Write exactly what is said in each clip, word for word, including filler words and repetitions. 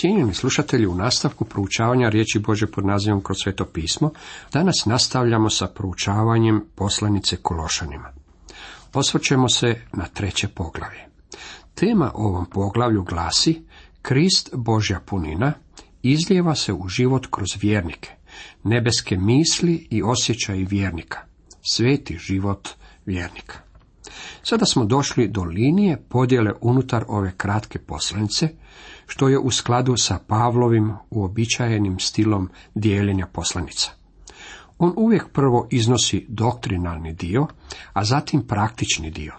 Cijenjeni slušatelji, u nastavku proučavanja riječi Božje pod nazivom Kroz Sveto pismo, danas nastavljamo sa proučavanjem poslanice Kološanima. Osvrćemo se na treće poglavlje. Tema ovom poglavlju glasi: Krist, Božja punina, izlijeva se u život kroz vjernike, nebeske misli i osjećaji vjernika, sveti život vjernika. Sada smo došli do linije podjele unutar ove kratke poslanice, što je u skladu sa Pavlovim uobičajenim stilom dijeljenja poslanica. On uvijek prvo iznosi doktrinalni dio, a zatim praktični dio.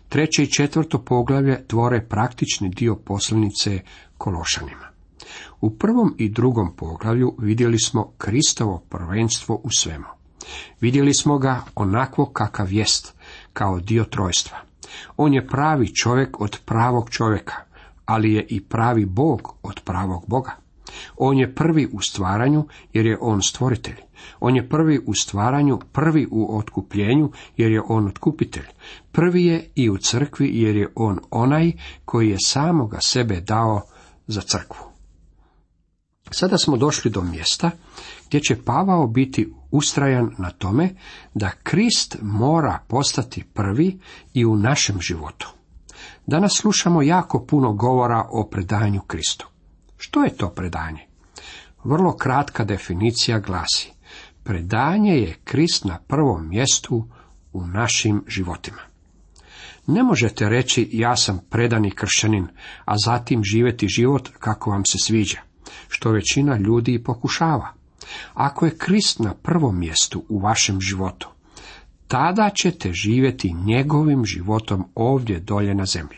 Treće i četvrto poglavlje tvore praktični dio poslanice Kološanima. U prvom i drugom poglavlju vidjeli smo Kristovo prvenstvo u svemu. Vidjeli smo ga onakvo kakav jest, kao dio trojstva. On je pravi čovjek od pravog čovjeka, ali je i pravi Bog od pravog Boga. On je prvi u stvaranju, jer je on stvoritelj. On je prvi u stvaranju, prvi u otkupljenju, jer je on otkupitelj. Prvi je i u crkvi, jer je on onaj koji je samoga sebe dao za crkvu. Sada smo došli do mjesta gdje će Pavao biti ustrajan na tome da Krist mora postati prvi i u našem životu. Danas slušamo jako puno govora o predanju Kristu. Što je to predanje? Vrlo kratka definicija glasi: predanje je Krist na prvom mjestu u našim životima. Ne možete reći ja sam predani kršćanin, a zatim živjeti život kako vam se sviđa, što većina ljudi i pokušava. Ako je Krist na prvom mjestu u vašem životu, tada ćete živjeti njegovim životom ovdje dolje na zemlji.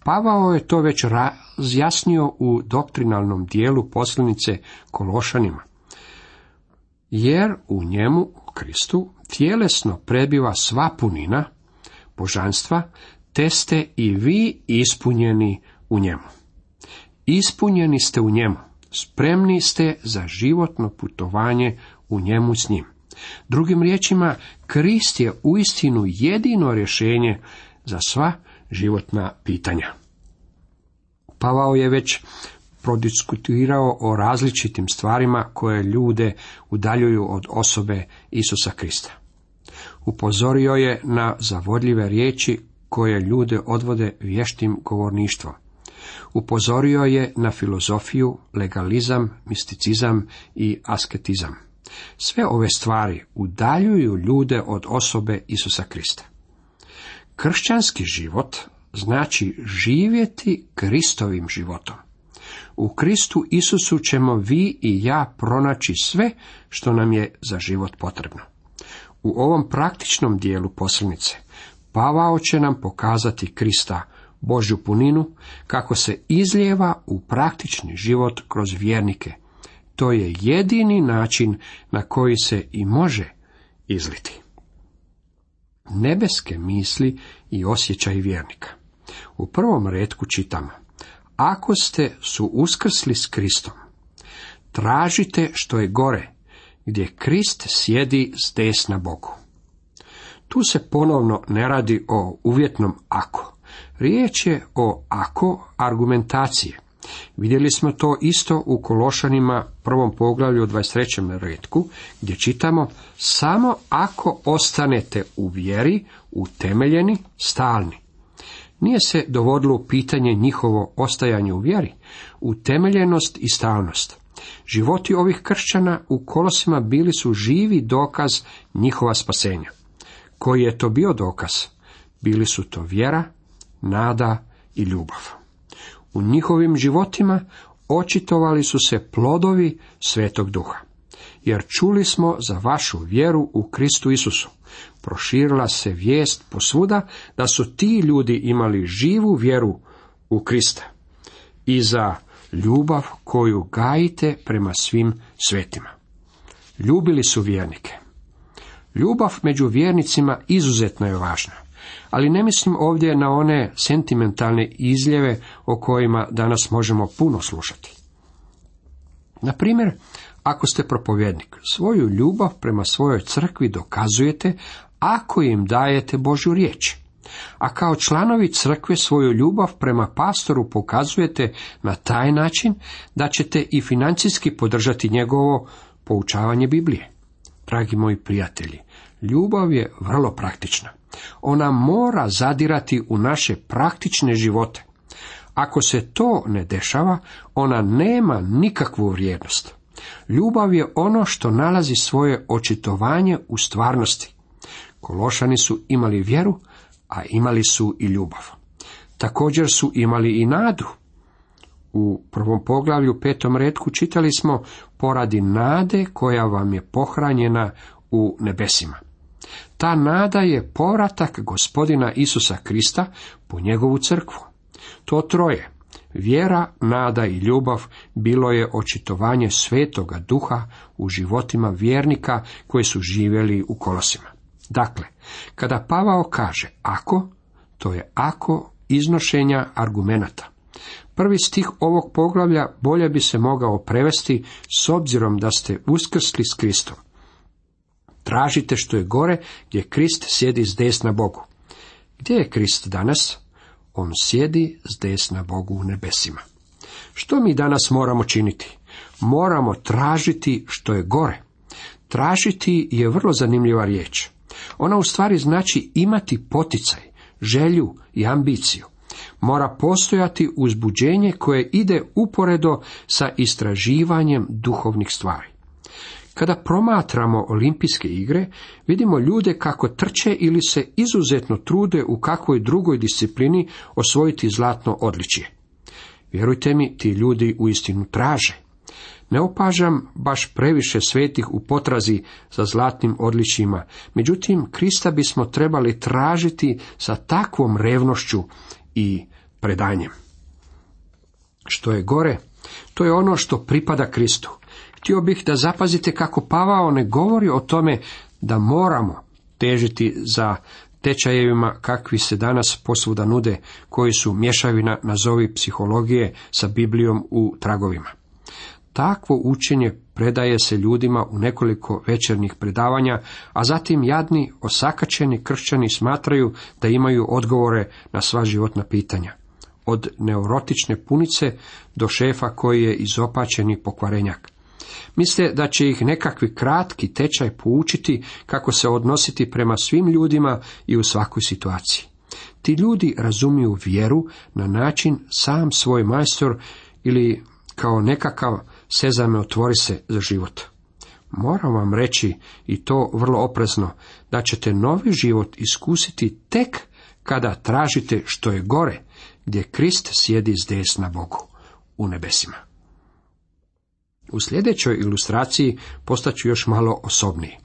Pavao je to već razjasnio u doktrinalnom dijelu poslanice Kološanima. Jer u njemu, u Kristu, tjelesno prebiva sva punina božanstva, te ste i vi ispunjeni u njemu. Ispunjeni ste u njemu, spremni ste za životno putovanje u njemu s njim. Drugim riječima, Krist je uistinu jedino rješenje za sva životna pitanja. Pavao je već prodiskutirao o različitim stvarima koje ljude udaljuju od osobe Isusa Krista. Upozorio je na zavodljive riječi koje ljude odvode vještim govorništvom. Upozorio je na filozofiju, legalizam, misticizam i asketizam. Sve ove stvari udaljuju ljude od osobe Isusa Krista. Kršćanski život znači živjeti Kristovim životom. U Kristu Isusu ćemo vi i ja pronaći sve što nam je za život potrebno. U ovom praktičnom dijelu poslanice Pavao će nam pokazati Krista, Božju puninu, kako se izlijeva u praktični život kroz vjernike. To je jedini način na koji se i može izliti. Nebeske misli i osjećaji vjernika. U prvom retku čitamo: ako ste su uskrsli s Kristom, tražite što je gore, gdje Krist sjedi s desna Bogu. Tu se ponovno ne radi o uvjetnom ako. Riječ je o ako argumentacije. Vidjeli smo to isto u Kološanima prvom poglavlju u dvadeset trećem retku, gdje čitamo: samo ako ostanete u vjeri, utemeljeni, stalni. Nije se dovodilo u pitanje njihovo ostajanje u vjeri, utemeljenost i stalnost. Životi ovih kršćana u Kolosima bili su živi dokaz njihova spasenja. Koji je to bio dokaz? Bili su to vjera, nada i ljubav. U njihovim životima očitovali su se plodovi Svetog Duha. Jer čuli smo za vašu vjeru u Kristu Isusu. Proširila se vijest posvuda da su ti ljudi imali živu vjeru u Krista i za ljubav koju gajite prema svim svetima. Ljubili su vjernike. Ljubav među vjernicima izuzetno je važna, ali ne mislim ovdje na one sentimentalne izljeve o kojima danas možemo puno slušati. Na primjer, ako ste propovjednik, svoju ljubav prema svojoj crkvi dokazujete ako im dajete Božju riječ. A kao članovi crkve svoju ljubav prema pastoru pokazujete na taj način da ćete i financijski podržati njegovo poučavanje Biblije. Dragi moji prijatelji, ljubav je vrlo praktična. Ona mora zadirati u naše praktične živote. Ako se to ne dešava, ona nema nikakvu vrijednost. Ljubav je ono što nalazi svoje očitovanje u stvarnosti. Kološani su imali vjeru, a imali su i ljubav. Također su imali i nadu. U prvom poglavlju, petom retku, čitali smo poradi nade koja vam je pohranjena u nebesima. Ta nada je povratak Gospodina Isusa Krista po njegovu crkvu. To troje, vjera, nada i ljubav, bilo je očitovanje Svetoga Duha u životima vjernika koji su živjeli u Kolosima. Dakle, kada Pavao kaže ako, to je ako iznošenja argumenata. Prvi stih ovog poglavlja bolje bi se mogao prevesti s obzirom da ste uskrsli s Kristom. Tražite što je gore, gdje Krist sjedi s desna Bogu. Gdje je Krist danas? On sjedi s desna Bogu u nebesima. Što mi danas moramo činiti? Moramo tražiti što je gore. Tražiti je vrlo zanimljiva riječ. Ona u stvari znači imati poticaj, želju i ambiciju. Mora postojati uzbuđenje koje ide uporedo sa istraživanjem duhovnih stvari. Kada promatramo olimpijske igre, vidimo ljude kako trče ili se izuzetno trude u kakvoj drugoj disciplini osvojiti zlatno odličje. Vjerujte mi, ti ljudi uistinu traže. Ne opažam baš previše svetih u potrazi za zlatnim odličjima, međutim, Krista bismo trebali tražiti sa takvom revnošću i predanjem. Što je gore, to je ono što pripada Kristu. Htio bih da zapazite kako Pavao ne govori o tome da moramo težiti za tečajevima kakvi se danas posvuda nude, koji su mješavina nazovi psihologije sa Biblijom u tragovima. Takvo učenje predaje se ljudima u nekoliko večernjih predavanja, a zatim jadni, osakaćeni kršćani smatraju da imaju odgovore na sva životna pitanja. Od neurotične punice do šefa koji je izopačeni pokvarenjak. Misle da će ih nekakvi kratki tečaj poučiti kako se odnositi prema svim ljudima i u svakoj situaciji. Ti ljudi razumiju vjeru na način sam svoj majstor ili kao nekakav sezame otvori se za život. Moram vam reći, i to vrlo oprezno, da ćete novi život iskusiti tek kada tražite što je gore, gdje Krist sjedi s desna Bogu u nebesima. U sljedećoj ilustraciji postaću još malo osobniji.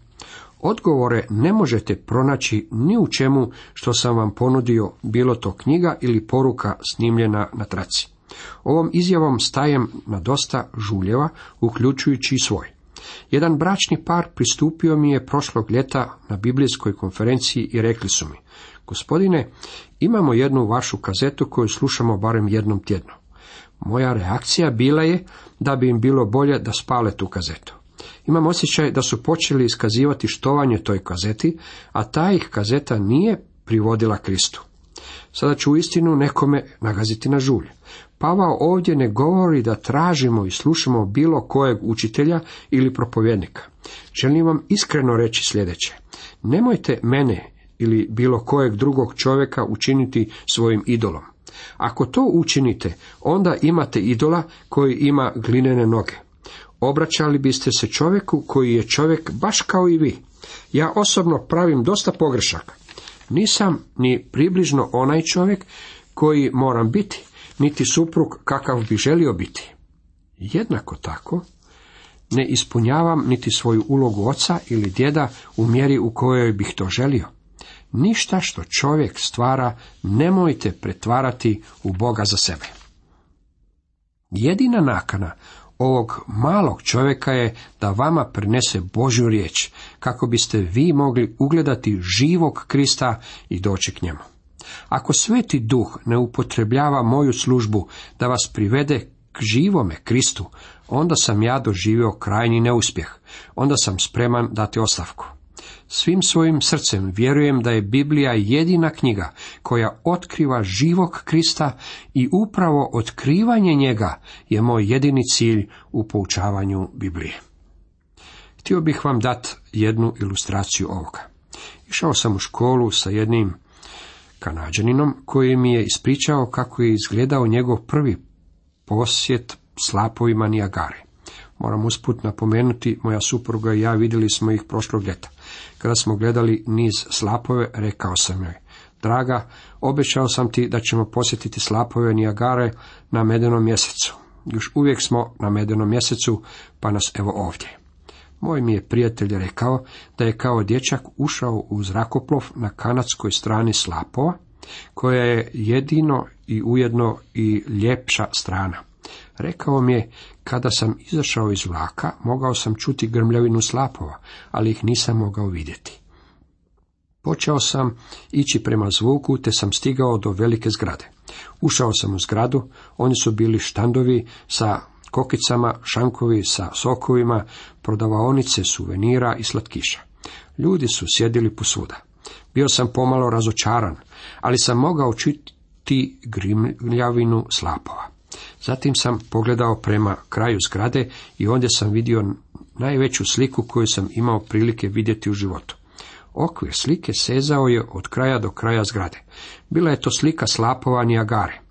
Odgovore ne možete pronaći ni u čemu što sam vam ponudio, bilo to knjiga ili poruka snimljena na traci. Ovom izjavom stajem na dosta žuljeva, uključujući i svoj. Jedan bračni par pristupio mi je prošlog ljeta na biblijskoj konferenciji i rekli su mi: Gospodine, imamo jednu vašu kazetu koju slušamo barem jednom tjedno. Moja reakcija bila je da bi im bilo bolje da spale tu kazetu. Imam osjećaj da su počeli iskazivati štovanje toj kazeti, a ta ih kazeta nije privodila Kristu. Sada ću uistinu nekome nagaziti na žulj. Pavao ovdje ne govori da tražimo i slušamo bilo kojeg učitelja ili propovjednika. Želim vam iskreno reći sljedeće: nemojte mene ili bilo kojeg drugog čovjeka učiniti svojim idolom. Ako to učinite, onda imate idola koji ima glinene noge. Obraćali biste se čovjeku koji je čovjek baš kao i vi. Ja osobno pravim dosta pogrešaka. Nisam ni približno onaj čovjek koji moram biti, niti suprug kakav bi želio biti. Jednako tako, ne ispunjavam niti svoju ulogu oca ili djeda u mjeri u kojoj bih to želio. Ništa što čovjek stvara nemojte pretvarati u Boga za sebe. Jedina nakana ovog malog čovjeka je da vama prenese Božju riječ, kako biste vi mogli ugledati živog Krista i doći k njemu. Ako Sveti Duh ne upotrebljava moju službu da vas privede k živome Kristu, onda sam ja doživio krajnji neuspjeh, onda sam spreman dati ostavku. Svim svojim srcem vjerujem da je Biblija jedina knjiga koja otkriva živog Krista i upravo otkrivanje njega je moj jedini cilj u poučavanju Biblije. Htio bih vam dati jednu ilustraciju ovoga. Išao sam u školu sa jednim Kanađaninom koji mi je ispričao kako je izgledao njegov prvi posjet slapovima Nijagare. Moram usput napomenuti, moja supruga i ja vidjeli smo ih prošlog ljeta. Kada smo gledali niz slapove, rekao sam joj: draga, obećao sam ti da ćemo posjetiti slapove Nijagare na medenom mjesecu. Još uvijek smo na medenom mjesecu, pa nas evo ovdje. Moj mi je prijatelj rekao da je kao dječak ušao u zrakoplov na kanadskoj strani slapova, koja je jedino i ujedno i ljepša strana. Rekao mi je, kada sam izašao iz vlaka, mogao sam čuti grmljavinu slapova, ali ih nisam mogao vidjeti. Počeo sam ići prema zvuku, te sam stigao do velike zgrade. Ušao sam u zgradu, oni su bili štandovi sa kokicama, šankovi sa sokovima, prodavaonice suvenira i slatkiša. Ljudi su sjedili posvuda. Bio sam pomalo razočaran, ali sam mogao čuti grmljavinu slapova. Zatim sam pogledao prema kraju zgrade i ondje sam vidio najveću sliku koju sam imao prilike vidjeti u životu. Okvir slike sezao je od kraja do kraja zgrade. Bila je to slika slapova Nijagare.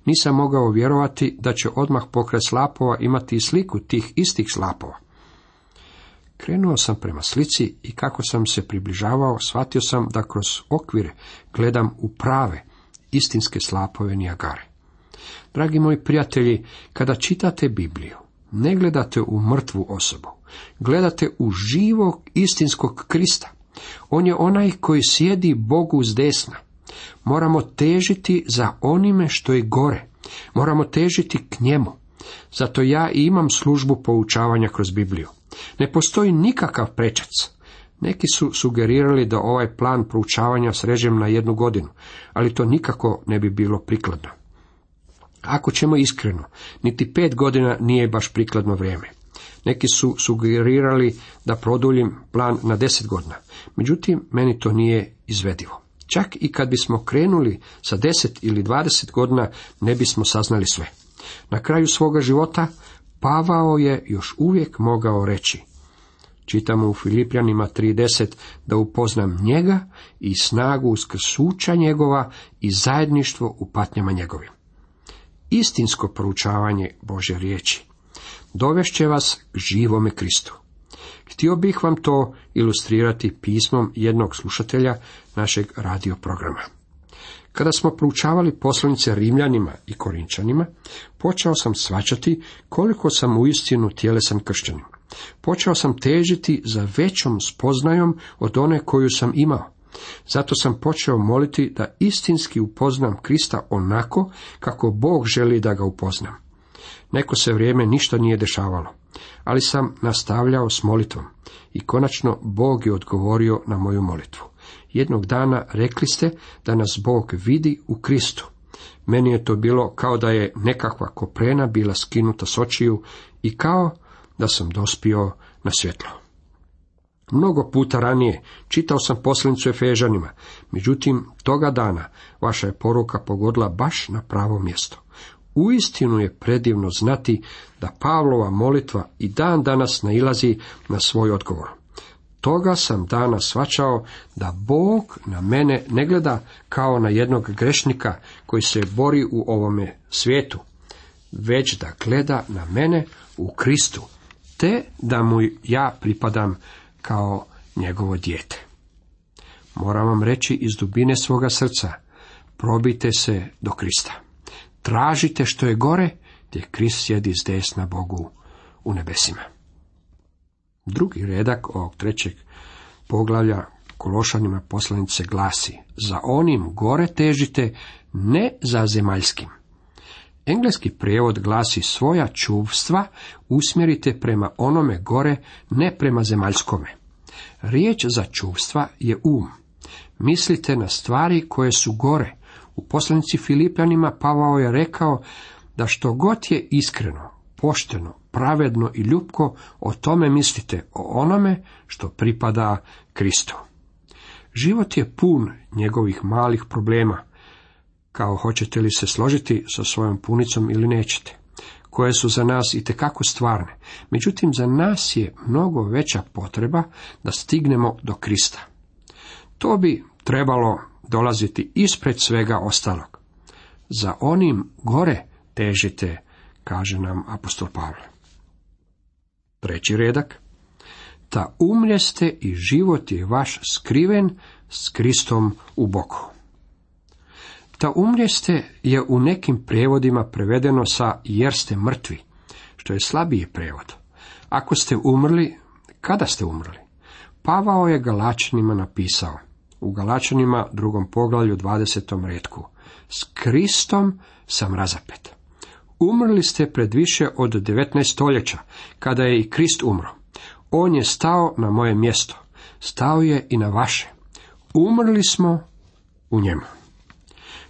Nisam mogao vjerovati da će odmah pokraj slapova imati i sliku tih istih slapova. Krenuo sam prema slici i kako sam se približavao, shvatio sam da kroz okvir gledam u prave, istinske slapove Nijagare. Dragi moji prijatelji, kada čitate Bibliju, ne gledate u mrtvu osobu, gledate u živog istinskog Krista. On je onaj koji sjedi Bogu s desna. Moramo težiti za onime što je gore. Moramo težiti k njemu. Zato ja i imam službu poučavanja kroz Bibliju. Ne postoji nikakav prečac. Neki su sugerirali da ovaj plan proučavanja srežem na jednu godinu, ali to nikako ne bi bilo prikladno. Ako ćemo iskreno, niti pet godina nije baš prikladno vrijeme. Neki su sugerirali da produljim plan na deset godina, međutim, meni to nije izvedivo. Čak i kad bismo krenuli sa deset ili dvadeset godina, ne bismo saznali sve. Na kraju svoga života Pavao je još uvijek mogao reći, čitamo u Filipljanima tri deset, da upoznam njega i snagu uskrsnuća njegova i zajedništvo u patnjama njegovim. Istinsko proučavanje Božje riječi dovešće vas k živome Kristu. Htio bih vam to ilustrirati pismom jednog slušatelja našeg radio programa. Kada smo proučavali poslanice Rimljanima i Korinčanima, počeo sam shvaćati koliko sam uistinu tjelesan kršćanin. Počeo sam težiti za većom spoznajom od one koju sam imao. Zato sam počeo moliti da istinski upoznam Krista onako kako Bog želi da ga upoznam. Neko se vrijeme ništa nije dešavalo, ali sam nastavljao s molitvom i konačno Bog je odgovorio na moju molitvu. Jednog dana rekli ste da nas Bog vidi u Kristu. Meni je to bilo kao da je nekakva koprena bila skinuta s očiju i kao da sam dospio na svjetlo. Mnogo puta ranije čitao sam poslanicu Efežanima, međutim toga dana vaša je poruka pogodila baš na pravo mjesto. Uistinu je predivno znati da Pavlova molitva i dan danas nailazi na svoj odgovor. Toga sam danas shvaćao da Bog na mene ne gleda kao na jednog grešnika koji se bori u ovome svijetu, već da gleda na mene u Kristu, te da mu ja pripadam kao njegovo dijete. Moram vam reći iz dubine svoga srca, probite se do Krista. Tražite što je gore, gdje Krist sjedi s desna Bogu u nebesima. Drugi redak ovog trećeg poglavlja Kološanima poslanice glasi: za onim gore težite, ne za zemaljskim. Engleski prijevod glasi: svoja čuvstva usmjerite prema onome gore, ne prema zemaljskome. Riječ za čuvstva je um. Mislite na stvari koje su gore. U poslanici Filipljanima Pavao je rekao da što god je iskreno, pošteno, pravedno i ljubko, o tome mislite, o onome što pripada Kristu. Život je pun njegovih malih problema, kao hoćete li se složiti sa svojom punicom ili nećete, koje su za nas itekako stvarne. Međutim, za nas je mnogo veća potreba da stignemo do Krista. To bi trebalo dolaziti ispred svega ostalog. Za onim gore težite, kaže nam apostol Pavle. Treći redak. Ta umrjeste i život je vaš skriven s Kristom u Bogu. Ta umrjeste je u nekim prijevodima prevedeno sa jer ste mrtvi, što je slabiji prijevod. Ako ste umrli, kada ste umrli? Pavao je Galačanima napisao, u Galačanima drugom poglavlju dvadesetom retku, s Kristom sam razapet. Umrli ste pred više od devetnaest stoljeća, kada je i Krist umro. On je stao na moje mjesto, stao je i na vaše. Umrli smo u njemu.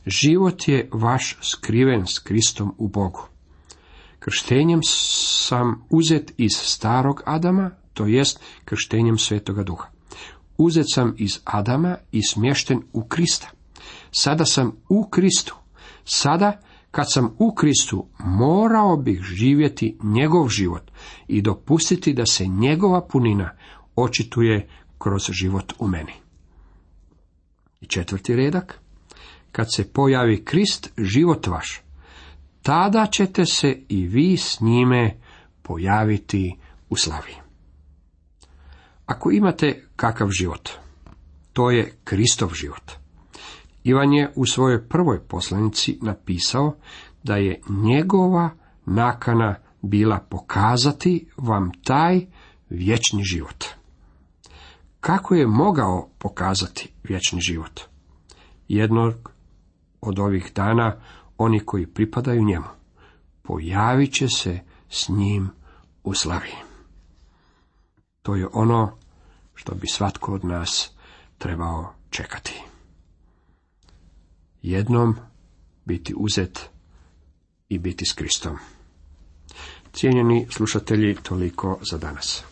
Život je vaš skriven s Kristom u Bogu. Krštenjem sam uzet iz starog Adama, to jest krštenjem Svetoga Duha. Uzet sam iz Adama i smješten u Krista. Sada sam u Kristu. Sada, kad sam u Kristu, morao bih živjeti njegov život i dopustiti da se njegova punina očituje kroz život u meni. I četvrti redak. Kad se pojavi Krist, život vaš, tada ćete se i vi s njime pojaviti u slavi. Ako imate kakav život, to je Kristov život. Ivan je u svojoj prvoj poslanici napisao da je njegova nakana bila pokazati vam taj vječni život. Kako je mogao pokazati vječni život? Jednog od ovih dana oni koji pripadaju njemu pojavit će se s njim u slavi. To je ono što bi svatko od nas trebao čekati. Jednom biti uzet i biti s Kristom. Cijenjeni slušatelji, toliko za danas.